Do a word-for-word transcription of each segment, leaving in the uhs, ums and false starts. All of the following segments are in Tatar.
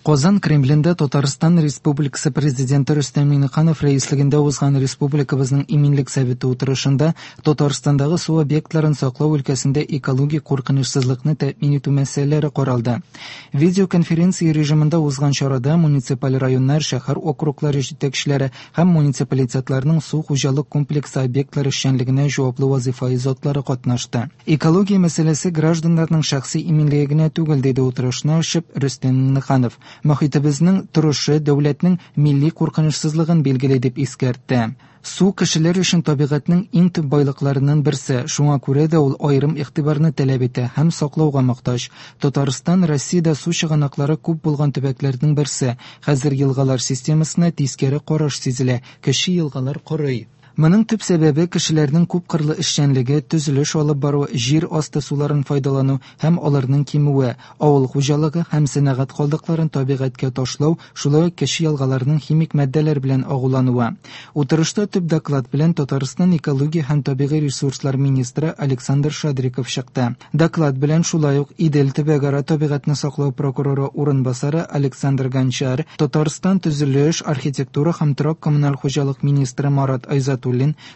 Казан Кремлендә Татарстан Республикасы Президенты Рөстәм Миңнеханов рәислегендә узган республикабызның Иминлек советы утырышында Татарстандагы су объектларын саклау өлкәсендә экологик куркынычсызлыкны тәэмин итү мәсьәләләре каралды. Видеоконференция режимында узган чарада муниципаль районнар, шәһәр округлары җитәкчеләре һәм муниципалитетларның су хуҗалык комплексы объектлары эшчәнлегенә җаваплы вазифаи затлары катнашты. Экология мәсьәләсе гражданнарның шәхси иминлеге генә түгел, диде утырышны ачып Рөстәм Миңнеханов. Мохитебезнең торышы дәүләтнең милли куркынычсызлыгын билгели, дип искәртте. Су кешеләр өчен табигатьнең иң төп байлыкларыннан берсе, шуңа күрә дә ул аерым игътибарны таләп итә һәм саклауга мохтаҗ. Татарстан Россиядә су чыганаклары күп булган төбәкләрнең берсе. Хәзер елгалар системасына тискәре караш сизелә, кече елгалар корый. Моның төп сәбәбе кешеләрнең күпкырлы эшчәнлеге, төзелеш алып бару, җир асты суларын файдалану һәм аларның кимүе, авыл хуҗалыгы һәм сәнәгать калдыкларын табигатькә ташлау, шулай ук кече елгаларның химик матдәләр белән агулануы. Утырышта төп доклад белән Татарстан экология һәм табигый ресурслар министры Александр Шадриков чыкты. Доклад белән шулай ук Идел төбәкара табигатьне саклау прокуроры урынбасары Александр Гончар, Татарстан төзелеш, архитектура һәм торак коммуналь хуҗалык министры Марат Айзатуллин,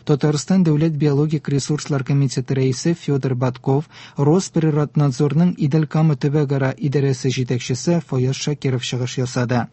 Татарстан дәүләт биологик ресурслар комитеты рәисе Федор Батков, Росприроднадзорның Идел-Кама төбәкара идарәсе җитәкчесе Фаяз Шакиров чыгыш ясады.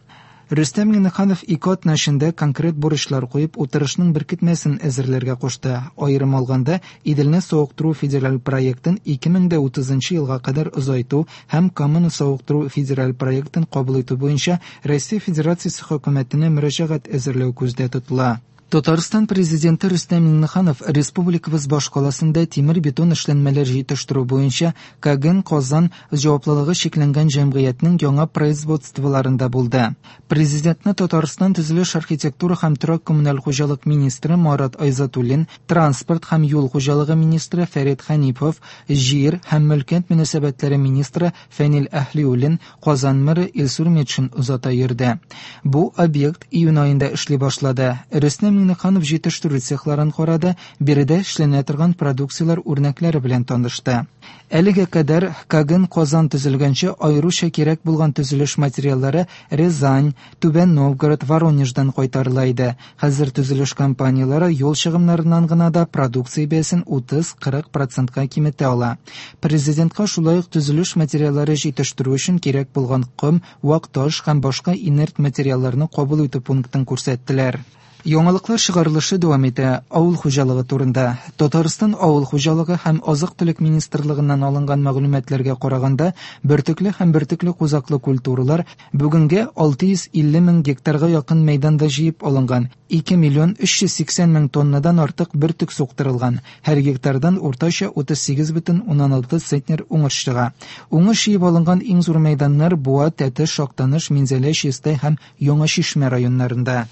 Рөстәм Миңнеханов ике атна эчендә конкрет бурычлар куеп, утырышның беркетмәсен әзерләргә кушты. Аерым алганда, Иделне савыктыру федераль проектын ике мең дә утызынчы елга кадәр озайту һәм Каманы савыктыру федераль проектын кабул итү буенча Россия Федерациясе хөкүмәтенә мөрәҗәгать әзерләү күздә тотыла. Татарстан президенты Рөстәм Миңнеханов республикабыз башкаласында тимер-бетон эшләнмәләр җитештерү буенча Каген Казан җаваплылыгы чикләнгән җәмгыятьнең яңа производстволарында булды. Президентны Татарстан төзелеш, архитектура һәм торак коммуналь хуҗалык министры Марат Айзатуллин, транспорт һәм юл хуҗалыгы министры Фәрит Хәнипов, җир һәм мөлкәт мөнәсәбәтләре министры Фәнил Әһлиуллин, Казан мэры Илсур Метшин озата йөрде. Бу объект июнь аенда эшли башлады. Рөстәм Миңнеханов җитештерү цехларын карады, биредә эшләнә торган продукцияләр үрнәкләре белән танышты. Әлегә кадәр Каген Казан төзелгәнче аеруча кирәк булган төзелеш материаллары Рязань, Түбән Новгород, Воронеждан кайтарыла иде. Хәзер төзелеш компанияләре юл чыгымнарыннан гына да продукция бәясен утыз-кырык процентка киметә ала. Президентка шулай ук төзелеш материаллары җитештерү өчен кирәк булган ком, вак таш һәм башка инерт материалларны кабул итү пунктын күрсәттеләр. Яңалыклар чыгарылышы дәвам итә. Авыл хуҗалыгы турында. Татарстан Авыл хуҗалыгы һәм азык-төлек министрлыгыннан алынган мәгълүматларга караганда, бөртекле һәм бөртекле кузаклы культуралар бүгенгә алты йөз илле мең гектарга якын мәйданда җыеп алынган. ике миллион өч йөз сиксән мең тоннадан артык бөртек суктырылган. Һәр гектардан уртача утыз сигез бөтен уннан алты центнер уңыш чыга. Уңыш җыеп алынган иң зур мәйданнар Буа, Тәтеш, Актаныш, Минзәлә, Чистай һәм Яңа Чишмә районнарында.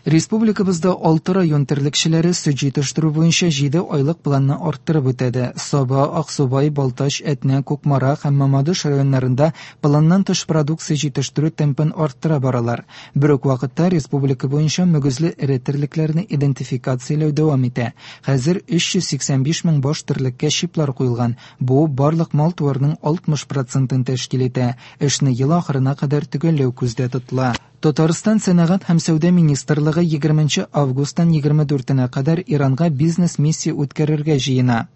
Республикабызда алты район терлекчеләре сөт җитештерү буенча җиде айлык планны арттырып үтәде. Саба, Аксубай, Балтач, Әтнә, Кукмара һәм Мамадыш районнарында планнан тыш продукция җитештерү темпын арттыра баралар. Бер үк вакытта республика буенча мөгезле эре терлекләрне идентификацияләү дәвам итә. Хәзер өч йөз сиксән биш мең баш терлеккә чиплар куелган. Бу барлык мал-туарның алтмыш процентын тәшкил итә. Эшне ел ахырына кадәр төгәлләү күздә тотыла. Татарстан Сәнәгать һәм Сәүдә министрлыгы егерменче августтан егерме дүртенә кадәр Иранга бизнес-миссия үткәрергә җыена.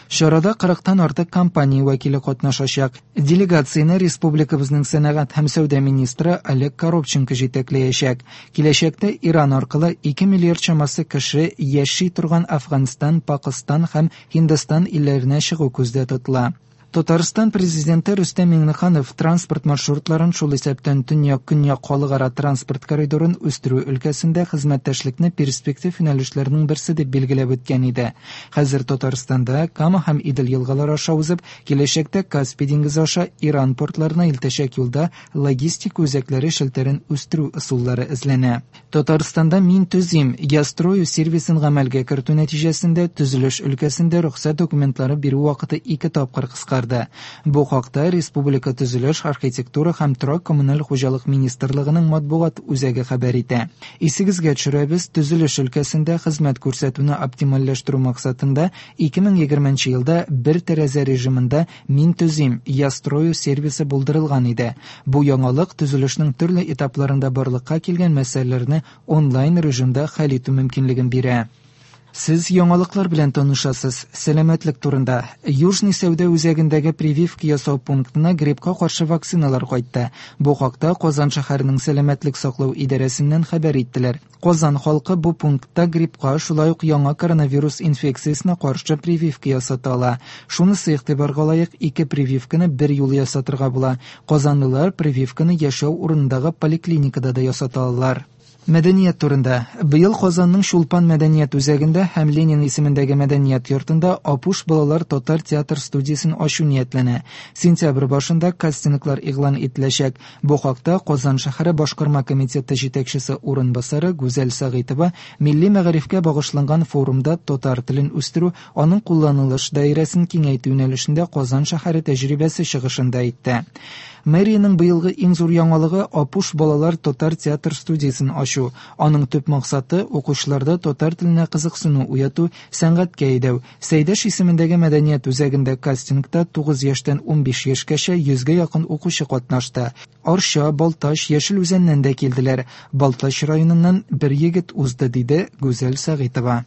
Чарада кырыктан артык компания вәкиле катнашачак. Делегацияне республикабызның сәнәгать һәм сәүдә министры Олег Коробченко җитәкләячәк. Киләчәктә Иран аркылы ике миллиард чамасы кеше яши торган Афганстан, Пакыстан һәм Һиндстан илләренә чыгу күздә тотыла. Татарстан президенты Рөстәм Миңнеханов транспорт маршрутларын, шул исәптән төньяк-көньяк халыкара транспорт коридорын үстерү өлкәсендә хезмәттәшлекне перспектив юнәлешләрнең берсе дип билгеләп үткән иде. Хәзер Татарстанда Кама һәм Идел елгалары аша узып, киләчәктә Каспий диңгезе аша Иран портларына илтәчәк юлда логистик үзәкләре челтәрен үстерү ысуллары эзләнә. Татарстанда Мин төзим, Я строю сервисын гамәлгә кертү нәтиҗәсендә төзелеш өлкәсендә рөхсәт документлары бирү вакыты ике тапкыр кыскарды. чыгарды. Бу хакта республика төзелеш, архитектура һәм торак-коммуналь хуҗалык министрлыгының матбугат үзәге хәбәр итә. Исегезгә төшерәбез, төзелеш өлкәсендә хезмәт күрсәтүне оптимальләштерү максатында ике мең егерменче елда бер тәрәзә режимында Мин төзим, Я строю сервисы булдырылган иде. Бу яңалык төзелешнең төрле этапларында барлыкка килгән мәсьәләләрне онлайн режимда хәл итү мөмкинлеген бирә. Сез яңалыклар белән танышасыз. Сәламәтлек турында. Южный сәүдә үзәгендәге прививка ясау пунктына гриппка каршы вакциналар кайтты. Бу хакта Казан шәһәренең сәламәтлек саклау идарәсеннән хәбәр иттеләр. Казан халкы бу пунктта гриппка, шулай ук яңа коронавирус инфекциясенә каршы прививка ясата ала. Шунысы игътибарга лаек, ике прививканы бер юлы ясатырга була. Казанлылар прививканы яшәү урынындагы поликлиникада да ясата алалар. Мәдәният турында. Быел Казанның Чулпан мәдәният үзәгендә һәм Ленин исемендәге мәдәният йортында Апуш балалар татар театр студиясен ачу ниятләнә. Сентябрь башында кастинглар игълан ителәчәк. Бу хакта Казан шәһәре башкарма комитеты җитәкчесе урынбасары Гүзәл Сәгыйтова милли мәгарифкә багышланган форумда татар телен үстерү, аның кулланылыш даирәсен киңәйтү юнәлешендә Казан шәһәре тәҗрибәсе чыгышында әйтте. Мэриянең быелгы иң зур яңалыгы Апуш балалар татар театр студиясен ачу. Аның төп максаты укучыларда татар теленә кызыксыну уяту, сәнгатькә әйдәү. Сәйдәш исемендәге мәдәният үзәгендә кастингта тугыз яшьтән унбиш яшькәчә йөзгә якын укучы катнашты. Арча, Балтач, Яшел Үзәннән дә килделәр. Балтач районыннан бер егет узды, диде Гүзәл Сәгыйтова.